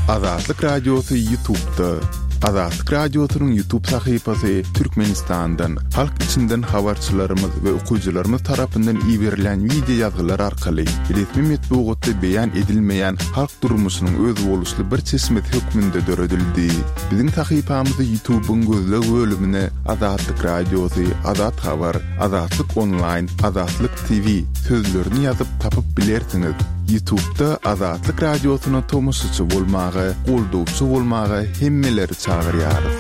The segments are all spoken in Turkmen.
Azatlyk Radiosy Ýutubda. Azatlyk Radiosynyň Ýutub sahypasy Türkmenistandan, halk içinden habarçylarymyz we okyjylarymyz tarapyndan iberilýän wideo ýazgylar arkaly resmi metbugatda beýan edilmeýän halk durmuşynyň özboluşly bir çeşmesi hökmünde döredildi. Biziň sahypamyzy Ýutubyň gözleg bölümine Azatlyk Radiosy, Azat Habar, Azatlyk Onlaýn, Azatlyk TV sözlerini ýazyp tapyp bilersiňiz. Ýutubda Azatlyk Radiosyna tomaşaçy bolmaga, goldawçy bolmaga hemmeleri çagyrýarys.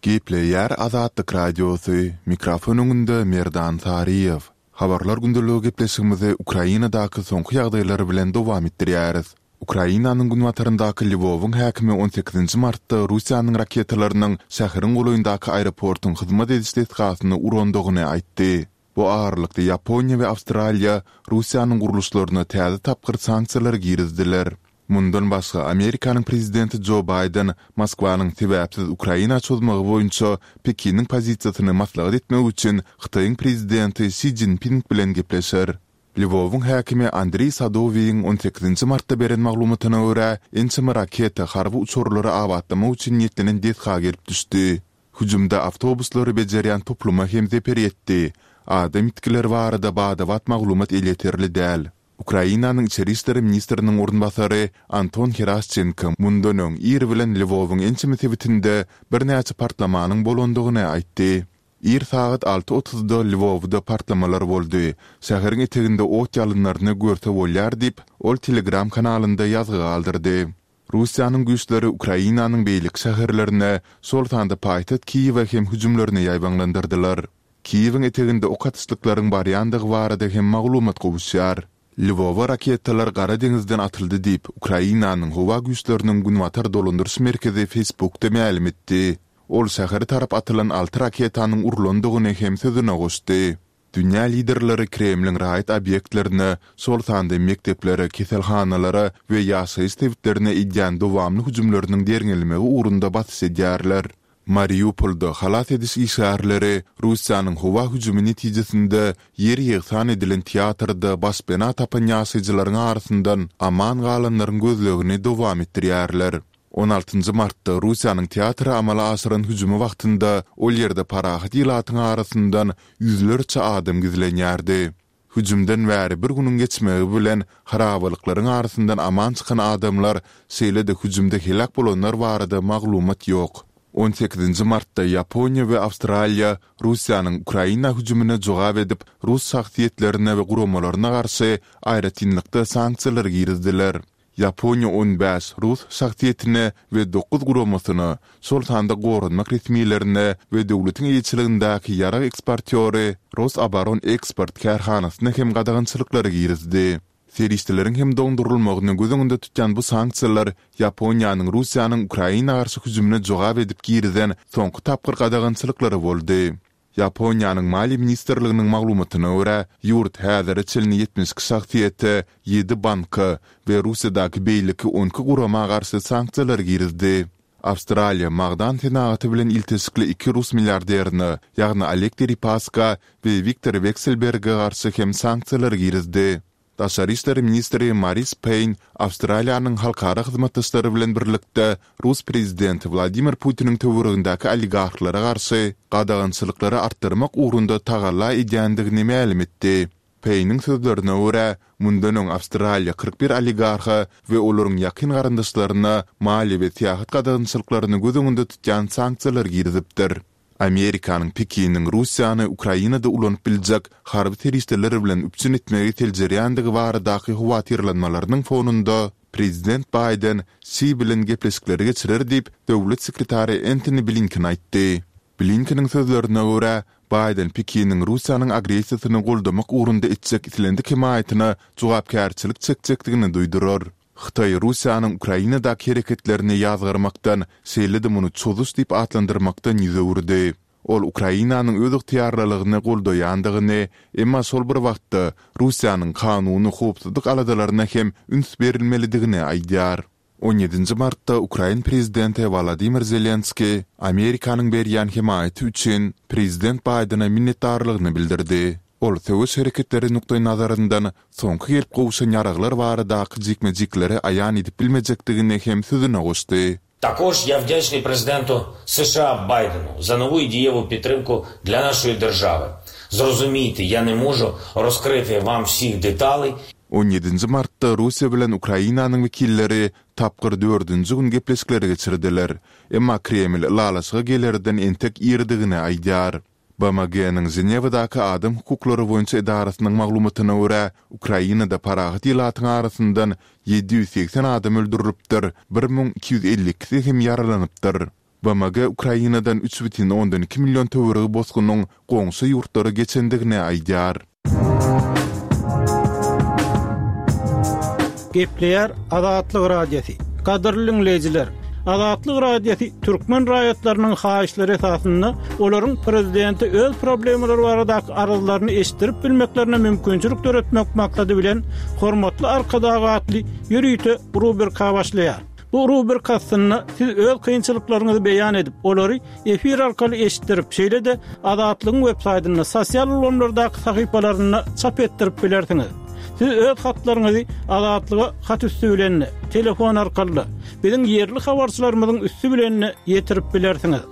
Gepleýär Azatlyk Radiosy, mikrofon öňünde Merdan Saryýew. Habarlar gündeligi gepleşigimizi Ukrainadaky soňky ýagdaýlar bilen dowam etdirýäris. Ukrainanyň günbataryndaky Lwowyň häkimi on sekizinji martda Russiýanyň raketalarynyň şäheriň golaýyndaky aeroportuň hyzmat ediş desgasyny urandygyny aýtdy. Bu aralykda Ýaponiýa we Awstraliýa Russiýanyň gurluşlaryna täze tapgyr sanksiýalary girizdiler. Mundan başga, Amerikanyň prezidenti Jo Baýden Moskwanyň sebäpsiz Ukraina çozmagy boýunça Pekiniň pozisiýasyny maslahat etmek üçin Hytaýyň prezidenti Si Szinpin bilen gepleşer. Lwowyň häkimi Andriý Sadowiýiň on sekizinji martda beren maglumatyna görä, ençeme raketa harby uçarlary abatlamak üçin niýetlenen desga gelip düşdi. Hüjümde awtobuslary bejerýän topluma hem zeper ýetdi. Adam ýitgileri barada bada-bat maglumat elýeterli däl. Ukrainanyň içeri işler ministriniň orunbasary Anton Heraşçenko mundan öň ir bilen Lwowyň ençeme sebitinde birnäçe partlamanyň bolandygyny aýtdy. Ir sagat alty otuzda Lwowda partlamalar boldy. Şäheriň eteginde ot ýalynlaryny görse bolýar diýip, ol Telegram kanalynda ýazgy galdyrdy. Russiýanyň güýçleri Ukrainanyň beýleki şäherlerine, şol sanda paýtagt Kiýewe hem hüjümlerini ýaýbaňlandyrdylar. Kiýewiň eteginde ok atyşlyklaryň barýandygy barada hem maglumat gowuşýar. Lwowa raketalar Gara deňizden atyldy diýip, Ukrainanyň Howa güýçleriniň Günbatar dolandyryş merkezi Facebookda mälim etdi. Ol şähere tarap atylan alty raketanyň urlandygyny hem sözüne goşdy. Dünýä liderleri Kremliň raýat obýektlerine, şol sanda mekdeplere, keselhanalara we ýaşaýyş sebitlerine edýän dowamly hüjümleriniň derňelmegi ugrunda basyş edýärler. Mariupolda halas ediş işgärleri Russiýanyň howa hüjümi netijesinde ýer-ýegsan edilen teatrda başpena tapan ýaşaýjylaryň arasyndan aman galanlaryň gözlegini dowam etdirýärler. On altynjy martda Russiýanyň teatra amala aşyran hüjümi wagtynda ol ýerde parahat ilatyň arasyndan ýüzlerçe adam gizlenýärdi. Hüjümden bäri bir günüň geçmegi bilen harabalyklaryň arasyndan aman çykan adamlar, şeýle-de hüjümde heläk bolanlar barada maglumat ýok. On sekizinji martda Ýaponiýa we Awstraliýa Russiýanyň Ukraina hüjümine jogap edip, rus şahsyýetlerine we guramalaryna garşy aýratynlykda sanksiýalary girizdiler. Ýaponiýa 15 rus şahsyýetine we dokuz guramasyna, şol sanda goranmak resmilerine we döwletiň eýeçiligindäki ýarag eksportýory Rosoboroneksport kärhanasyna hem gadagançylyklary girizdi. Serişdeleriň hem doňdurylmagyny göz öňünde tutýan bu sanksiýalar Ýaponiýanyň Russiýanyň Ukraina garşy hüjümine jogap edip girizen soňky tapgyr gadagançylyklary boldy. Ýaponiýanyň Maliýe ministrliginiň maglumatyna görä, ýurt häzire çenli 72 şahsyýete, ýedi banka we Russiýadaky beýleki 12 gurama garşy sanksiýalary girizdi. Awstraliýa magdan senagaty bilen ilteşikli iki rus milliarderine, ýagny Oleg Deripaska we Wiktor Wekselberge garşy hem sanksiýalary girizdi. Daşary işler ministri Maris Peýn Awstraliýanyň halkara hyzmatdaşlary bilen birlikde rus prezidenti Wladimir Putiniň töweregindäki oligarhlara garşy gadagançylyklary artdyrmak ugrunda tagalla edýändigini mälim etdi. Peýniň sözlerine görä, mundan öň Awstraliýa 41 oligarha we olaryň ýakyn garyndaşlaryna maliýe we syýahat gadagançylyklaryny göz öňünde tutýan sanksiýalar girizipdir. Amerikanyň Pekiniň Russiýany Ukrainada ulanyp biljek harby serişdeler bilen üpjün etmegi seljerýändigi baradaky howatyrlanmalarynyň fonunda, prezident Baýden Si bilen gepleşikleri geçirer diýip, döwlet sekretary Entoni Blinken aýtdy. Blinkeniň sözlerine görä, Baýden Pekiniň Russiýanyň agressiýasyny goldamak ugrunda etjek islendik hemaýatyna jogapkärçilik çekjekdigini duýdurar. Hytaý Russiýanyň Ukrainadaky hereketlerini ýazgarmakdan, şeýle-de muny çozuş diýip atlandyrmakdan ýüz öwürdi. Ol Ukrainanyň özygtyýarlylygyny goldaýandygyny, emma şol bir wagtda Russiýanyň kanuny howpsuzlyk aladalaryna hem üns berilmelidigini aýdýar. On ýedinji martda ukrain prezidenti Wolodymyr Zelenskiý Amerikanyň berýän hemaýaty üçin prezident Baýdene minnetdarlygyny bildirdi. Ol söweş hereketleri nukdaýnazaryndan soňky gelip gowşan ýaraglar baradaky jikme-jikleri aýan edip bilmejekdigini hem sözüne goşdy. Також я вдячний президенту США Байдену за нову і дієву підтримку для нашої держави. Зрозумійте, я не можу розкрити вам всіх деталей. On ýedinji martda Russiýa bilen Ukrainanyň wekilleri tapgyr dördünji gün gepleşikleri geçirdiler. Emma Kreml ylalaşyga gelerden entek irdigini aýdýar. BMG-niň Ženewadaky adam hukuklary boýunça edarasynyň maglumatyna görä, Ukrainada parahat ilatyň arasyndan 780 adam öldürilipdir, 1252-si hem ýaralanypdyr. BMG Ukrainadan 3,2 million töweregi bosgunyň goňşy ýurtlara geçendigini aýdýar. Gepleýär Azatlyk Radiosy. Gadyrly diňleýjiler, Azatlyk Radiosy türkmen raýatlarynyň haýyşlary esasynda olaryň prezidente öz problemalary baradaky arzlaryny eşitdirip bilmeklerine mümkinçilik döretmek maksady bilen Hormatly Arkadag atly ýörite rubrika başlaýar. Bu rubrika astynda siz öz kynçylyklaryňyzy beýan edip, olary efir arkaly eşitdirip, şeýle-de Azatlygyň websaýtynda, sosial ulgamlardaky sahypalarynda çap etdirip bilersiňiz. Siz öz hatlaryňyzy Azatlyga hat üsti bilen-de, telefon arkaly-da, biziň ýerli habarçylarymyzyň üsti bilen-de ýetirip bilersiňiz.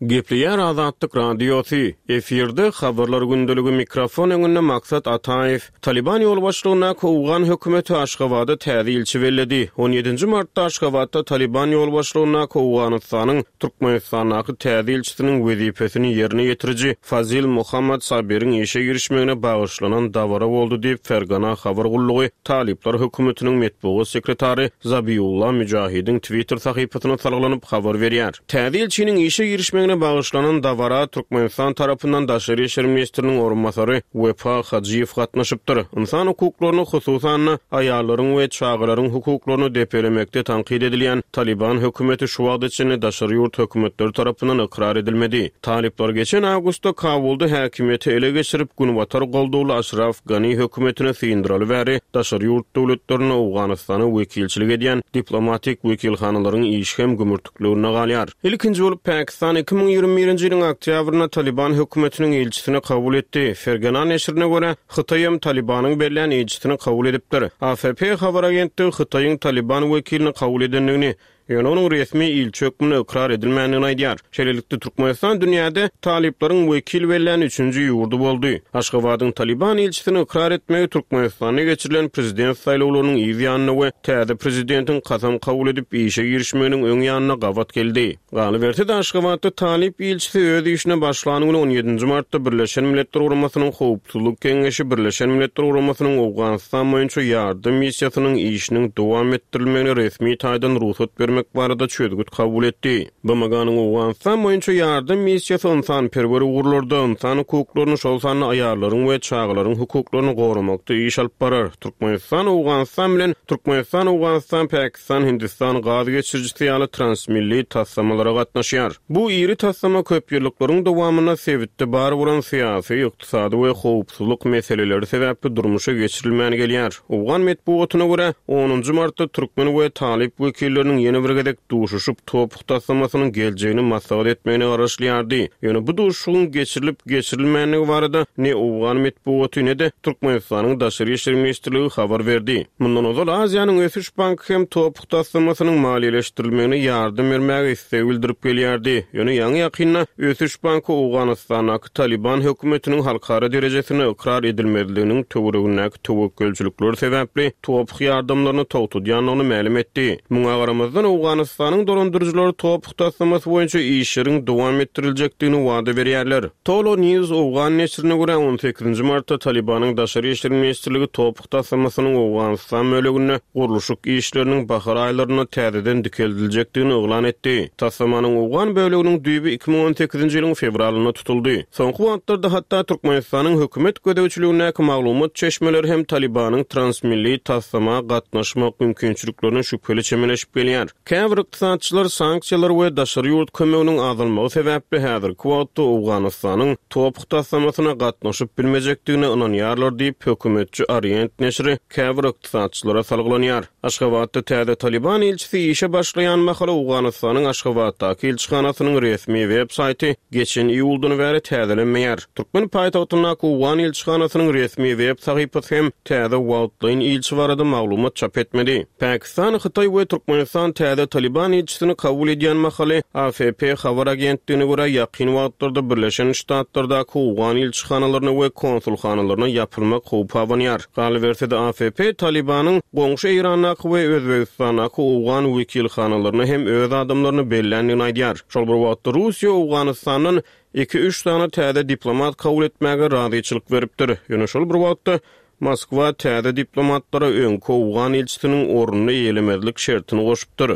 Gepleýär Azatlyk Radiosy, efirde Habarlar gündeligi mikrofon öňünde Maksat Ataýew. Talyban ýolbaşçylygyndaky owgan hökümeti Aşgabada täze ilçi belledi. On ýedinji martda Aşgabatda Talyban ýolbaşçylygyndaky Owganystanyň Türkmenistandaky täze ilçisiniň wezipesini ýerine ýetiriji Fazil Mohammad Saberiň işe girişmegine bagyşlanan dabara boldy diýip, Fergana habar gullugy Talyplar hökümetiniň metbugat sekretary Zabiulla Müjahidiň Twitter sahypasyna salgylanyp habar berýär. Täze ilçiniň işe girişmegine bagyşlanan dabara Türkmenistan tarapyndan daşary işler ministriniň orunbasary Wepa Hajyýew gatnaşypdyr. Ynsan hukuklaryny, hususan-da, aýallaryň we çagalaryň hukuklaryny depelemekde tankyt edilýän Talyban hökümeti şu wagta çenli daşary ýurt hökümetleri tarapyndan ykrar edilmedi. Talyplar geçen awgustda Kabulda häkimiýeti ele geçirip, Günbatar goldawly Aşraf Gani hökümetini syndyraly bäri daşary ýurt döwletlerinde Owganystana wekilçilik edýän diplomatik wekilhanalaryň işi hem gümürtikliginde galýar. Ilkinji bolup Pakistan 2021-nji ýylyň oktýabrynda Talyban hökümetiniň ilçisini kabul etdi. Fergana neşirine görä, Hytaý hem Talybanyň bellän ilçisini kabul edipdir. AFP habar agentligi Hytaýyň Talyban wekilini kabul edendigini, Ýöne onuň resmi ilçi hökmünde ykrar edilmändigini aýdýar. Şeýlelikde, Türkmenistan dünýäde talyplaryň wekil bellän üçünji ýurdy boldy. Aşgabadyň Talyban ilçisini ykrar etmegi Türkmenistanda geçirilen prezident saýlawlarynyň yz ýanynda we täze prezidentiň kasam kabul edip işe girişmeginiň öň ýanynda gabat geldi. Galyberse-de, Aşgabatda talyp ilçisi öz işine başlan güni on ýedinji martda Birleşen Milletler Guramasynyň Howpsuzlyk Geňeşi Birleşen Milletler Guramasynyň Owganystan boýunça ýardam missiýasynyň işiniň dowam etdirilmegine resmi taýdan rugsat bermek barada çözgüt kabul etdi. BMG-niň Owganystan boýunça ýardam missiýasy ynsanperwer ugurlarda, ynsan hukuklaryny, şol sanda aýallaryň we çagalaryň hukuklaryny goramakda iş alyp barar. Türkmenistan Owganystan bilen Türkmenistan, Owganystan, Pakistan, Hindistan gaz geçirijisi ýaly transmilli taslamalara gatnaşýar. Bu iri taslama köpýyllyklaryň dowamynda sebitde bar bolan syýasy, ykdysady we howpsuzlyk meseleleri sebäpli durmuşa geçirilmän gelýär. Owgan metbugatyna görä, onunjy martda türkmen we talyp wekilleriniň ýene bir gezek duşuşyp, TOPH taslamasynyň geljegini maslahat etmegine garaşylýardy. Ýöne bu duşuşygyň geçirilip-geçirilmändigi barada ne owgan metbugaty, ne-de Türkmenistanyň Daşary işler ministrligi habar berdi. Mundan ozal Aziýanyň ösüş banky hem TOPH taslamasynyň maliýeleşdirilmegine ýardam bermäge isleg bildirip gelýärdi. Ýöne ýaňy-ýakynda Ösüş banky Owganystandaky Talyban hökümetiniň halkara derejesinde ykrar edilmezliginiň töweregindäki töwekgelçilikler sebäpli TOPH ýardamlaryny togtadýandygyny mälim etdi. Muňa garamazdan, Owganystanyň dolandyryjylary TOPH taslamasy boýunça işleriň dowam etdiriljekdigini wada berýärler. Tolo News owgan neşirine görä, on sekizinji martda Talybanyň Daşary işler ministrligi TOPH taslamasynyň Owganystan böleginde gurluşyk işleriniň bahar aýlarynda täzeden dikeldiljekdigini yglan etdi. Taslamanyň owgan böleginiň düýbi 2018-nji ýylyň fewralynda tutuldy. Soňky wagtlarda hatda Türkmenistanyň hökümet gözegçiligindäki maglumat çeşmeleri hem Talybanyň transmilli taslama gatnaşmak mümkinçiliklerine şübheli çemeleşip gelýär. Käbir ykdysatçylar sanksiýalar we daşary ýurt kömeginiň azalmagy sebäpli häzirki wagtda Owganystanyň TOPH taslamasyna gatnaşyp bilmejekdigine ynanýarlar diýip, hökümetçi Orient neşiri käbir ykdysatçylara salgylanýar. Aşgabatda täze Talyban ilçisi işe başlaýan mahaly Owganystanyň Aşgabatdaky ilçihanasynyň resmi web saýty geçen iýuldan bäri täzelenmeýär. Türkmen paýtagtyndaky owgan ilçihanasynyň resmi web sahypasy hem täze wagtlaýyn ilçi barada maglumat çap etmedi. Pakistan, Hytaý we Türkmenistan täze Talyban ilçisini kabul edýän mahaly, AFP habar agentligine görä, ýakyn wagtlarda Birleşen Ştatlardaky owgan ilçihanalaryna we konsulhanalaryna ýapylmak howpy abanýar. Galyberse-de, AFP Talybanyň goňşy Eýrandaky we Özbegistandaky owgan wekilhanalaryna hem öz adamlaryny belländigini aýdýar. Şol bir wagtda, Russiýa Owganystandan iki-üç sany täze diplomat kabul etmäge razyçylyk beripdir. Ýöne şol bir wagtda, Moskwa täze diplomatlara öňki owgan ilçisiniň ornuny eýelemezlik şertini goşupdyr.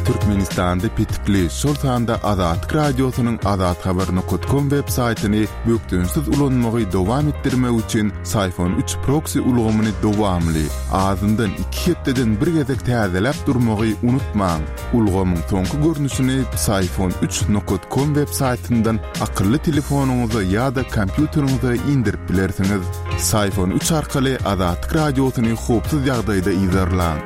Türkmenistanda petikli, şol sanda Azatlyk Radiosynyň azathabar nokat kom web saýtyny bökdençsiz ulanmagy dowam etdirmek üçin Syfon üç proksi ulgamyny dowamly, azyndan iki hepdeden bir gezek täzeläp durmagy unutmaň. Ulgamyň soňky görnüşini Psiphon üç nokat kom web saýtyndan akylly telefonyňyza ýa-da kompýuteriňize indirip bilersiňiz. Psiphon üç arkaly Azatlyk Radiosyny howpsuz ýagdaýda yzarlaň.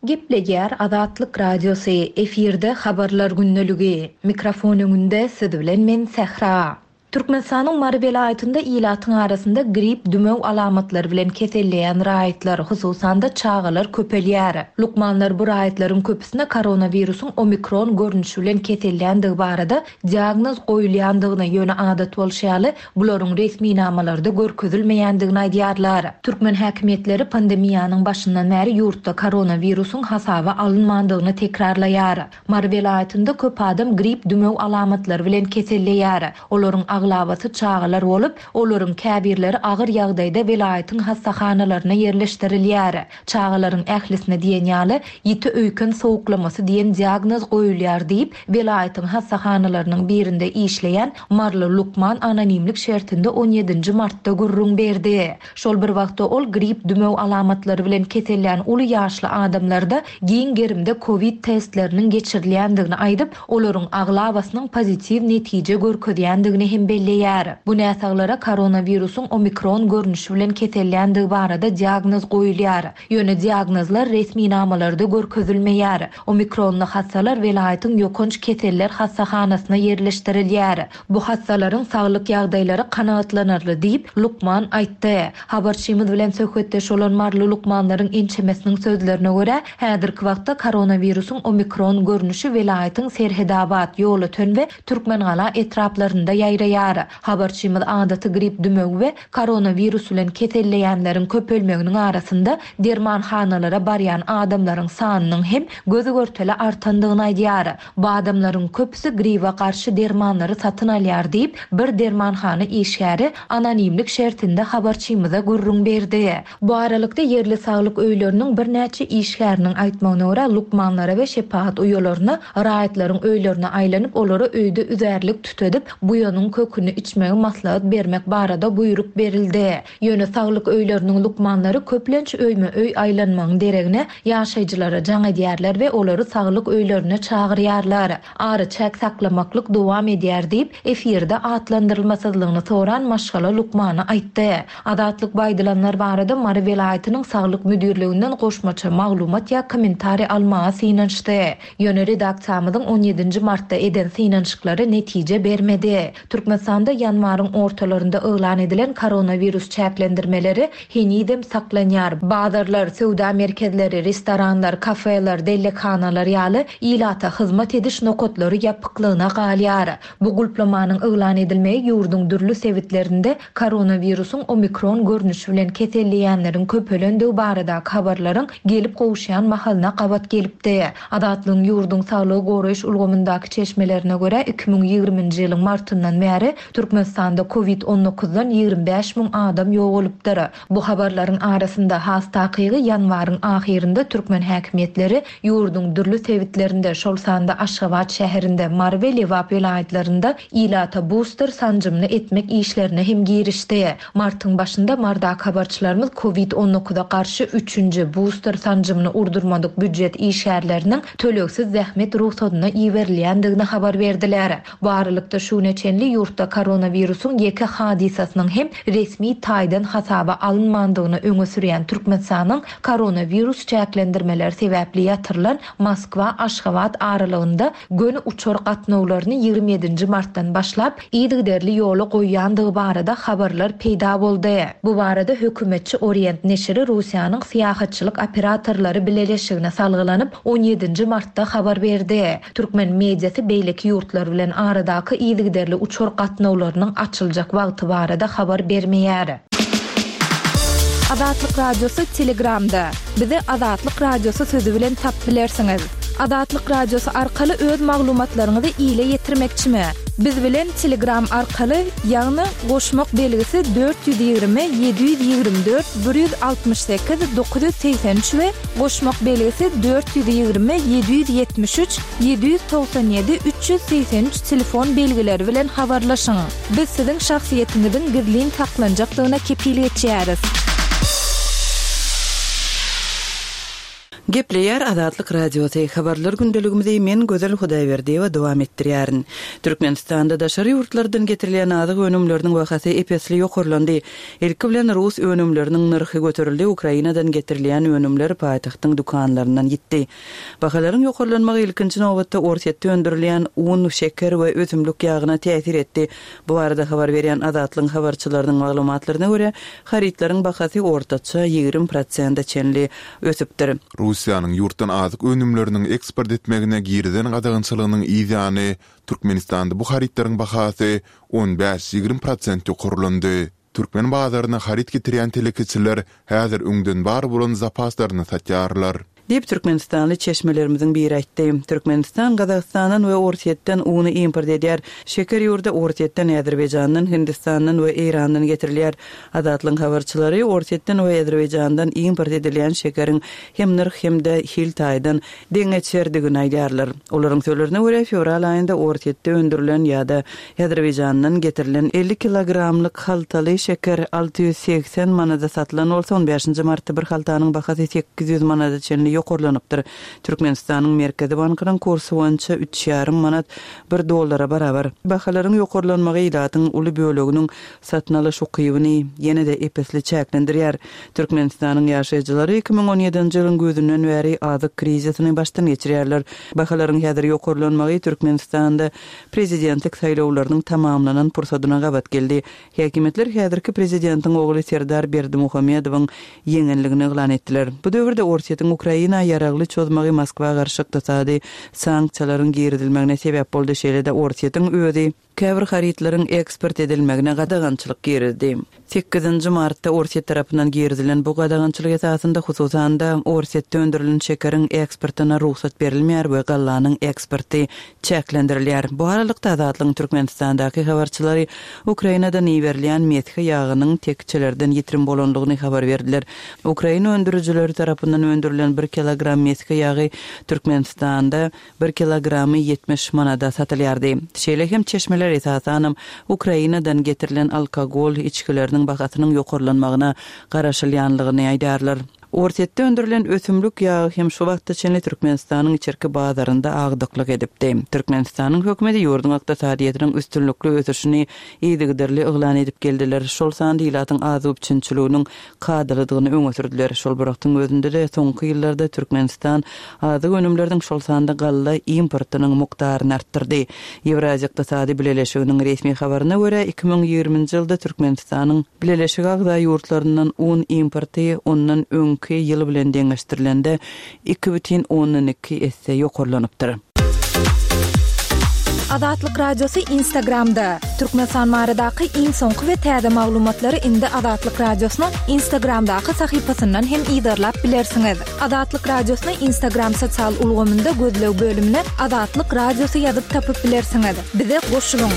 Gepleýär Azatlyk Radiosy, efirde Habarlar gündeligi. Mikrofon öňünde siz bilen men Sähra. Türkmenistanyň Mary welaýatynda ilatyň arasynda grip, dümew alamatlary bilen keselleýän raýatlar, hususan-da, çagalar köpelýär. Lukmanlar bu raýatlaryň köpüsine koronawirusyň omikron görnüşi bilen keselländigi barada diagnoz goýulýandygyny, ýöne adat bolşy ýaly, bularyň resminamalarda görkezilmeýändigini aýdýarlar. Türkmen häkimiýetleri pandemiýanyň başyndan bäri ýurtda koronawirusyň hasaba alynmandygyny tekrarlaýar. Mary welaýatynda köp adam grip, dümew alamatlary bilen keselleýär. Olaryň aglabasy çagalar bolup, olaryň käbirleri agyr ýagdaýda welaýatyň hassahanalaryna ýerleşdirilýär. Çagalaryň ählisine diýen ýaly ýiti öýken sowuklamasy diýen diagnoz goýulýar diýip, welaýatyň hassahanalarynyň birinde işleýän maryly lukman anonimlik şertinde on ýedinji martda gürrüň berdi. Şol bir wagtda ol grip, dümew alamatlary bilen kesellän uly ýaşly adamlarda giň gerimde kowid testleriniň geçirilýändigini aýdyp, olaryň aglabasynyň pozitiw netije görkezýändigini hem belleýär. Bu näsaglara koronawirusyň omikron görnüşi bilen keselländigi barada diagnoz goýulýar. Ýöne diagnozlar resminamalarda görkezilmeýär. Omikronly hassalar welaýatyň ýokanç keseller hassahanasyna ýerleşdirilýär. Bu hassalaryň saglyk ýagdaýlary kanagatlanarly diýip, lukman aýtdy. Habarçymyz bilen söhbetdeş bolan maryly lukmanlaryň ençemesiniň sözlerine görä, häzirki wagtda koronawirusyň omikron görnüşi welaýatyň Serhedabat, Ýolöten we Türkmengala etraplarynda ýaýraýar. Habarçymyz adaty grip dümewi we koronawirus bilen keselleýänleriň köpelmeginiň arasynda dermanhanalara barýan adamlaryň sanynyň hem göz-görtele artandygyny aýdýar. Bu adamlaryň köpüsi gribe garşy dermanlary satyn alýar diýip, bir dermanhana işgäri anonimlik şertinde habarçymyza gürrüň berdi. Bu aralykda, ýerli saglyk öýleriniň birnäçe işgäriniň aýtmagyna görä, lukmanlara we şepagat uýalaryna raýatlaryň öýlerine aýlanyp, olara öýde üzärlik tütedip, buýanyň köküni içmegi maslahat bermek barada buýruk berildi. Ýöne saglyk öýleriniň lukmanlary köplenç öýme-öý aýlanmagyň deregine, ýaşaýjylara jaň edýärler we olary saglyk öýlerine çagyrýarlar. Araçäk saklamaklyk dowam edýär diýip, efirde atlandyrylmasyzlygyny soran maşgala lukmany aýtdy. Azatlyk bu aýdylanlar barada Mary welaýatynyň saglyk müdirliginden goşmaça maglumat ýa kommentariý almaga synanyşdy. Ýöne redaksiýamyzyň on ýedinji martda eden synanyşyklary netije bermedi. Türkmenistanda ýanwaryň ortalarynda yglan edilen koronawirus çäklendirmeleri henizem saklanýar. Bazarlar, söwda merkezleri, restoranlar, kafeler, dellekhanalar ýaly ilata hyzmat ediş nokatlary ýapyklygyna galýar. Bu gulplamanyň yglan edilmegi ýurduň dürli sebitlerinde koronawirusyň omikron görnüşi bilen keselleýänleriň köpelendigi baradaky habarlaryň gelip gowuşýan mahalyna gabat gelipdi. Azatlygyň ýurduň saglygy goraýyş ulgamyndaky çeşmelerine görä, 2020-nji ýylyň martyndan bäri. bäri Türkmenistanda Covid 19 dan 25 müň adam ýogalypdyr. Bu habarlaryň arasynda, has takygy ýanwaryň ahyrynda türkmen häkimiýetleri ýurduň dürli sebitlerinde, şol sanda Aşgabat şäherinde, Mary we Lebap welaýatlarynda ilata buster sanjymyny etmek işlerine hem girişdi. Martyň başynda Mardaky habarçylarymyz Covid 19-a garşy üçünji, buster sanjymyny urdurmadyk býujet işgärleriniň tölegsiz zähmet rugsadyna iberilýändigini habar berdiler. Bu aralykda, şu güne çenli ýurtda koronawirusyň ýeke hadysasynyň hem resmi taýdan hasaba alynmandygyny öňe sürýän Türkmenistanyň koronawirus çäklendirmeleri sebäpli ýatyrylan Moskwa-Aşgabat aralygynda göni uçar gatnawlaryny 27 nji martdan başlap yzygiderli ýola goýýandygy barada habarlar peýda boldy. Bu barada hökümetçi Orient neşiri Russiýanyň syýahatçylyk operatorlary bileleşigine salgylanyp, on ýedinji martda habar berdi. Türkmen mediasy beýleki ýurtlar bilen aradaky yzygiderli uçar gatnawlarynyň açyljak wagty barada habar bermeýär. Azatlyk Radiosy Telegramda, Bizi Azatlyk Radiosy sözi bilen tapyp bilersiňiz. Azatlyk Radiosy arkaly öz maglumatlaryňyzy ile ýetirmekçimi? Biz bilen Telegram arkaly, ýagny goşmak belgisi 420 724 168 983 we goşmak belgisi 420 773 797 383 telefon belgileri bilen habarlaşyň. Biz siziň şahsyýetiňiziň gizlin saklanjakdygyna kepil geçýäris. Gepleýär Azatlyk Radiosy, Habarlar gündeligimizi men Gözel Hudaýberdiýewa dowam etdirýärin. Türkmenistanda daşary ýurtlardan getirilýän azyk önümleriniň bahasy ep-esli ýokarlandy. Ilki bilen rus önümleriniň nyrhy göterildi, Ukrainadan getirilýän önümler paýtagtyň dükanlaryndan ýitdi. Bahalaryň ýokarlanmagy ilkinji nobatda Orsýetde öndürilýän un, şeker we ösümlik ýagyna täsir etdi. Bu barada habar berýän Azatlygyň habarçylarynyň maglumatlaryna görä, harytlaryň bahasy ortaça 20 prosente çenli ösüpdir. Russiýanyň ýurtdan azyk önümleriniň eksport etmegine girizen gadagançylygynyň yz ýany, Türkmenistanda bu harytlaryň bahasy on bäş-ýigrimi prosent ýokarlandy. Türkmen bazaryna haryt getirýän telekeçiler häzir öňden bar bolan zapaslaryny satýarlar. Diýip, türkmenistanly çeşmelerimiziň biri aýtdy. Türkmenistan Gazagystandan we Orsýetden uny import edýär. Şeker ýurda Orsýetden, Azerbaýjandan, Hindistandan we Eýrandan getirilýär. Azatlygyň habarçylary Orsýetden we Azerbaýjandan import edilýän şekeriň hem nyrh, hem-de hil taýdan deňeçerdigini aýdýarlar. Olaryň sözlerine görä, fewral aýynda Orsýetde öndürilen ýa-da Azerbaýjandan getirilen 50 kilogramlyk haltaly şeker 680 manada satylan bolsa, on bäşinji martda bir haltanyň bahasy 800 manada çenli ýokarlanypdyr. Türkmenistanyň Merkezi bankynyň kursy boýunça üç ýarym manat bir dollara barabar. Bahalaryň ýokarlanmagy ilatyň uly böleginiň satyn alyş ukybyny ýene-de ep-esli çäklendirýär. Türkmenistanyň ýaşaýjylary 2017-nji ýylyň güýzünden bäri azyk krizisini başdan geçirýärler. Bahalaryň häzir ýokarlanmagy Türkmenistanda prezidentlik saýlawlarynyň tamamlanan pursadyna gabat geldi. Häkimiýetler häzirki prezidentiň ogly Serdar Berdimuhamedowyň ýeňenligini yglan etdiler. Bu döwürde Orsýetiň Ukraina ýaragly çozmagy Moskwa garşy ykdysady sanksiýalaryň girizilmegine sebäp boldy, şeýle-de Orsýetiň özi käbir harytlaryň eksport edilmegine gadagançylyk girizdi. Sekizinji martda Orsýet tarapyndan girizilen bu gadagançylyk esasynda, hususan-da, Orsýetde öndürilen şekeriň eksportyna rugsat berilmeýär we gallanyň eksporty çäklendirilýär. Bu aralykda, Azatlygyň Türkmenistandaky habarçylary Ukrainadan iberilýän mesge ýagynyň tekjelerden ýitirim bolandygyny habar berdiler. Ukraina öndürijileri tarapyndan öndürilen bir kilogram mesge ýagy Türkmenistanda Bir kilogramy 70 manada satylýardy. Şeýle hem çeşmeler esasanam Ukrainadan getirilen alkogol içgileriniň bahasynyň ýokarlanmagyna garaşylýanlygyny aýdýarlar. Orsýetde öndürilen ösümlik ýagy hem şu wagta çenli Türkmenistanyň içerki bazarynda agdyklyk edipdi. Türkmenistanyň hökümeti ýurduň ykdysadyýetiniň üstünlikli ösüşini yzygiderli yglan edip geldiler, şol sanda ilatyň azyk üpjünçiliginiň kadalydygyny öňe sürdüler. Şol bir wagtyň özünde-de, soňky ýyllarda Türkmenistan azyk önümleriniň, şol sanda galla importynyň mukdaryny artdyrdy. Ýewraziýa Ykdysady Bileleşiginiň resmi habaryna görä, 2020-nji ýylda Türkmenistanyň Bileleşige agza ýurtlaryndan un importy ondan öňki ýyl bilen deňeşdirilende iki bütin ondan iki esse ýokarlanypdyr. Azatlyk Radiosy Instagramda! Türkmenistan baradaky iň soňky we täze maglumatlary indi Azatlyk Radiosynyň Instagramdaky sahypasyndan hem yzarlap bilersiňiz. Azatlyk Radiosyny Instagram sosial ulgamynda gözleg bölümine Azatlyk Radiosy ýazyp tapyp bilersiňiz. Bize goşulyň!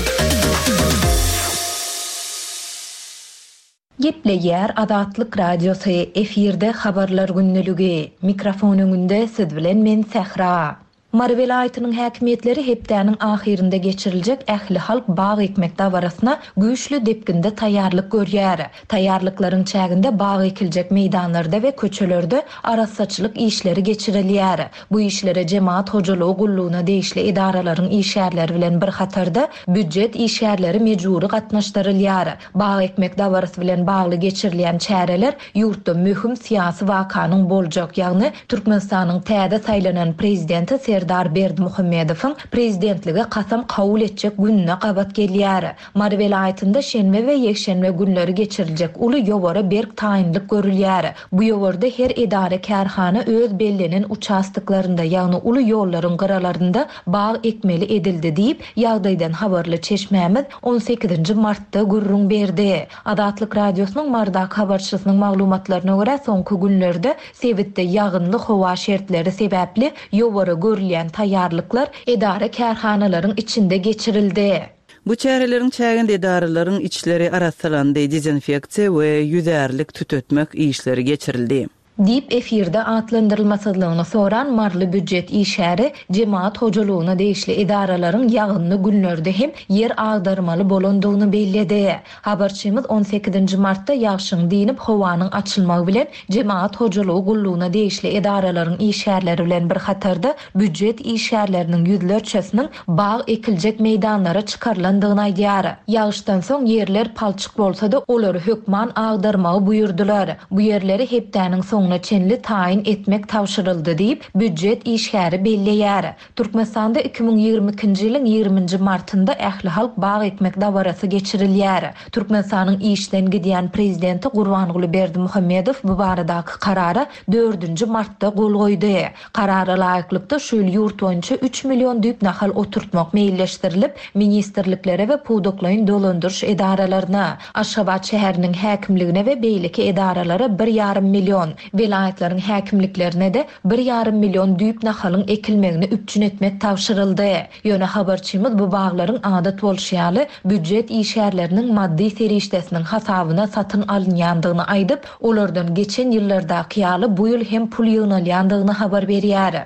Gepleýär Azatlyk Radiosy, efirde Habarlar gündeligi. Mikrofon öňünde siz bilen men Sähra. Mary welaýatynyň häkimiýetleri hepdäniň ahyrynda geçiriljek ählihalk bag ekmek dabarasyna güýçli depginde taýýarlyk görýär. Taýýarlyklaryň çäginde bag ekiljek meýdanlarda we köçelerde arassaçylyk işleri geçirilýär. Bu işlere jemagat hojalygy gullugyna degişli edaralaryň işgärleri bilen bir hatarda, býujet işgärleri mejbury gatnaşdyrylýar. Bag ekmek dabarasy bilen bagly geçirilýän çäreler ýurtda möhüm syýasy wakanyň boljak, ýagny Türkmenistanyň täze saýlanan Prezidenti Serdar Berdimuhamedowyň Prezidentlige kasam kabul etjek gününe gabat gelýär. Mary welaýatynda şenbe we ýekşenbe günleri geçiriljek uly ýowara berk taýynlyk görülýär. Bu ýowarda her edara-kärhana öz bellenen uçastoklarynda, ýagny uly ýollaryň gyralarynda bag ekmeli edildi diýip, ýagdaýdan habarly çeşmämiz on sekizinji martda gürrüň berdi. Azatlyk Radiosynyň Marydaky habarçysynyň maglumatlaryna görä, soňky günlerde sebitde ýagynly howa şertleri sebäpli ýowara görülýän taýýarlyklar edara-kärhanalaryň içinde geçirildi. Bu çäreleriň çäginde edaralaryň içleri arassalandy, dezinfeksiýa we ýüzärlik tütetmek işleri geçirildi. Diýip, efirde atlandyrylmasyzlygyny soran maryly býujet işgäri jemagat hojalygyna degişli edaralaryň ýagynly günlerde hem ýer agdarmaly bolandygyny belledi. Habarçymyz on sekizinji martda ýagşyň dynyp, howanyň açylmagy bilen jemagat hojalygy gullugyna degişli edaralaryň işgärleri bilen bir hatarda býujet işgärleriniň ýüzlerçesiniň bag ekiljek meýdanlara çykarylandygyny aýdýar. Ýagyşdan soň ýerler palçyk bolsa-da, olary hökman agdarmagy buýurdylar. Bu ýerleri hepdäniň soňuna çenli taýyn etmek tabşyryldy diýip, býujet işgäri belleýär. Türkmenistanda 2022-nji ýylyň ýigriminji martynda ählihalk bag ekmek dabarasy geçirilýär. Türkmenistanyň işden gidýän prezidenti Gurbanguly Berdimuhamedow bu baradaky karara dördünji martda gol goýdy. Karara laýyklykda, şu ýyl ýurt boýunça üç million düýp nahal oturtmak meýilleşdirilip, ministrliklere we pudaklaýyn dolandyryş edaralaryna, Aşgabat şäheriniň häkimligine we beýleki edaralara bir ýarym million, welaýatlaryň häkimliklerine-de bir ýarym million düýp nahalyň ekilmegini üpjün etmek tabşyryldy. Ýöne habarçymyz bu baglaryň adat bolşy ýaly, býujet işgärleriniň maddy serişdesiniň hasabyna satyn alynýandygyny aýdyp, Olardan geçen ýyllardaky ýaly bu ýyl hem pul ýygnalýandygyny habar berýär.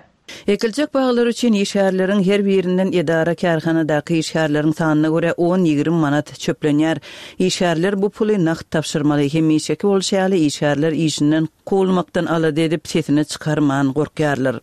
Ekiljek baglar üçin işgärleriň her birinden edara-kärhanadaky işgärleriň sanyna görä on-ýigrimi manat çöplenýär. Işgärler bu puly nagt tabşyrmaly. Hemişeki bolşy ýaly, işgärler işinden kowulmakdan alada edip, sesini çykarman gorkýarlar.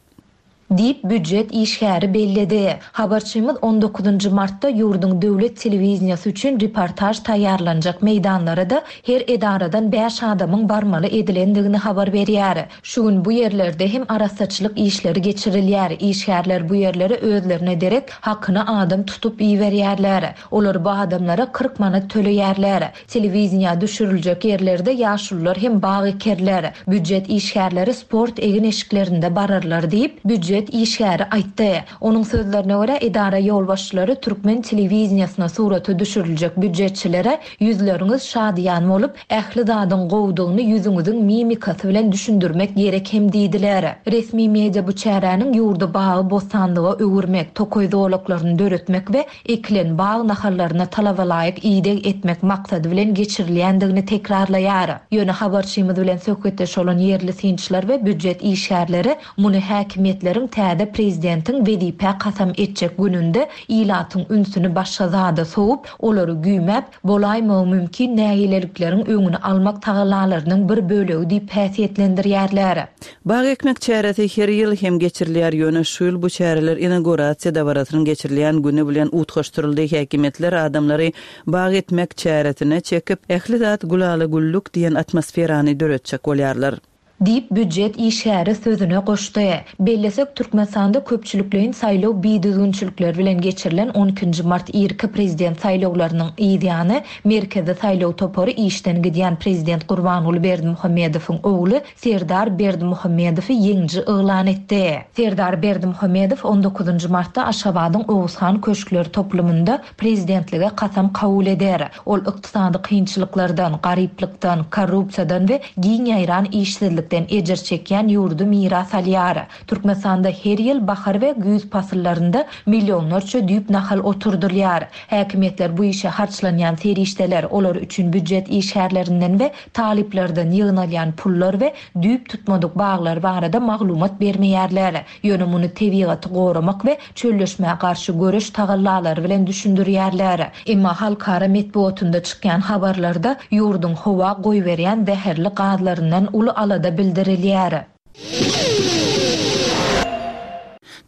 Diýip, býujet işgäri belledi. Habarçymyz on dokuzynjy martda ýurduň döwlet telewideniýesi üçin reportaž taýýarlanjak meýdanlara-da her edaradan bäş adamyň barmaly edilendigini habar berýär. Şu gün bu ýerlerde hem arassaçylyk işleri geçirilýär. Işgärler bu ýerlere özlerine derek hakyna adam tutup iberýärler. Olar bu adamlara 40 manat töleýärler. Telewideniýä düşüriljek ýerlerde ýaşulular hem bag ekerler, býujet işgärleri sport egin-eşiklerinde bararlar diýip, býujet işgäri aýtdy. Onuň sözlerine görä, edara ýolbaşçylary türkmen telewideniýesine surata düşüriljek býujetçilere ýüzleriňiz şadyýan bolup, ähli zadyň gowudygyny ýüzüňiziň mimikasy bilen düşündirmek gerek hem diýdiler. Resmi media bu çäräniň ýurdy bagy-bossanlyga öwürmek, tokaý zolaklaryny döretmek we ekilen bag nahallaryna talabalaýyk ideg etmek maksady bilen geçirilýändigini tekrarlaýar. Ýöne habarçymyz bilen söhbetdeş bolan ýerli synçylar we býujet işgärleri muny häkimiýetleriň täze prezidentiň wezipä kasam etjek gününde ilatyň ünsüni başga zada sowup, olary güýmäp, bolaýmagy mümkin nägilelikleriň öňüni almak tagallalarynyň bir bölegi diýip häsiýetlendirýärler. Bag ekmek çäresi her ýyl hem geçirilýär, ýöne şu ýyl bu çäreler inaugurasiýa dabarasynyň geçirilýän güni bilen utgaşdyryldy. Häkimiýetler adamlary bag ekmek çäresine çekip, ähli zat gülala-güllük diýen atmosferany döretjek bolýarlar. Diýip, býujet işgäri sözüne goşdy. Bellesek, Türkmenistanda köpçülikleýin saýlaw bidüzgünçilikleri bilen geçirilen on ikinji mart irki prezident saýlawlarynyň yz ýany, Merkezi saýlaw topary işden gidýän prezident Gurbanguly Berdimuhamedowyň ogly Serdar Berdimuhamedowy ýeňiji yglan etdi. Serdar Berdimuhamedow on dokuzynjy martda Aşgabadyň Oguzhan köşkler toplumynda prezidentlige kasam kabul eder. Ol ykdysady kynçylyklardan, garyplykdan, korrupsiýadan we giň ýaýran işsizlikden ejir çekýän ýurdy miras alýar. Türkmenistanda her ýyl bahar we güýz pasyllarynda millionlarça düýp nahal oturdylýar. Häkimiýetler bu işe harçlanýan serişdeler, olar üçin býujet işgärlerinden we talyplardan ýygnalýan pullar we düýp tutmadyk baglar barada maglumat bermeýärler. Ýöne muny tebigaty goramak we çölleşmä garşy göreş tagallalary bilen düşündirýärler. Emma halkara metbugatynda çykýan habarlarda ýurduň howa goýberýän zäherli gazlaryndan uly alada bildirilýär.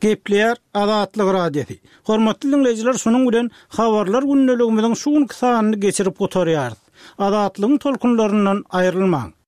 Gepleýär Azatlyk Radiosy. Hormatly diňleýjiler şunuň bilen Habarlar gündeligimiziň şu günki sanyny geçirip gutarýarys. Azatlygyň tolkunlaryndan aýrylmaň!